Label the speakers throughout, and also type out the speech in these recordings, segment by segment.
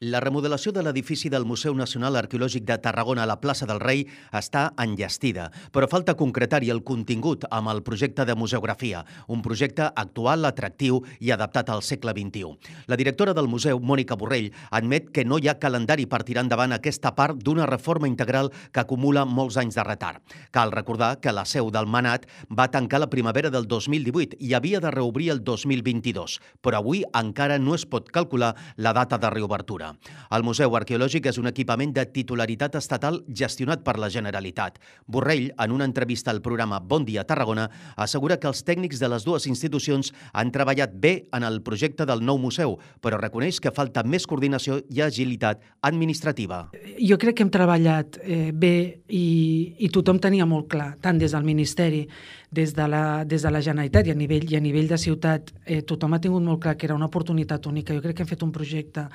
Speaker 1: La remodelació de l'edifici del Museu Nacional Arqueològic de Tarragona a la plaça del Rei està enllestida, però falta concretar-hi el contingut amb el projecte de museografia, un projecte actual, atractiu i adaptat al segle XXI. La directora del museu, Mònica Borrell, admet que no hi ha calendari per tirar endavant aquesta part d'una reforma integral que acumula molts anys de retard. Cal recordar que la seu del Manat va tancar la primavera del 2018 i havia de reobrir el 2022, però avui encara no es pot calcular la data de reobertura. El Museu Arqueològic és un equipament de titularitat estatal gestionat per la Generalitat. Borrell, en una entrevista al programa Bon Dia Tarragona, assegura que els tècnics de les dues institucions han treballat bé en el projecte del nou museu, però reconeix que falta més coordinació i agilitat administrativa.
Speaker 2: Jo crec que hem treballat bé i tothom tenia molt clar, tant des del Ministeri, des de la Generalitat i a nivell de ciutat, tothom ha tingut molt clar que era una oportunitat única. Jo crec que hem fet un projecte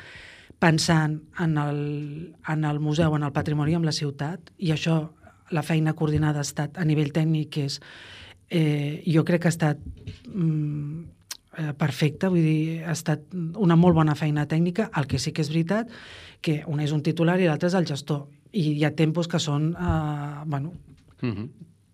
Speaker 2: pensant en el museu, en el patrimoni, en la ciutat, i això, la feina coordinada ha estat a nivell tècnic, jo crec que ha estat perfecta, vull dir, ha estat una molt bona feina tècnica. El que sí que és veritat que un és un titular i l'altre és el gestor, i hi ha tempos que són,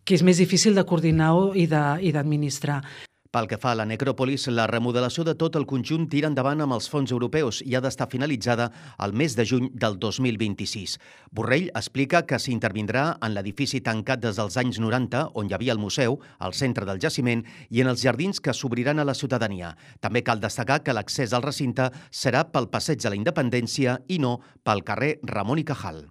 Speaker 2: que és més difícil de coordinar i d'administrar.
Speaker 1: Pel que fa a la necròpolis, la remodelació de tot el conjunt tira endavant amb els fons europeus i ha d'estar finalitzada el mes de juny del 2026. Borrell explica que s'intervindrà en l'edifici tancat des dels anys 90, on hi havia el museu, al centre del jaciment, i en els jardins que s'obriran a la ciutadania. També cal destacar que l'accés al recinte serà pel Passeig de la Independència i no pel carrer Ramon i Cajal.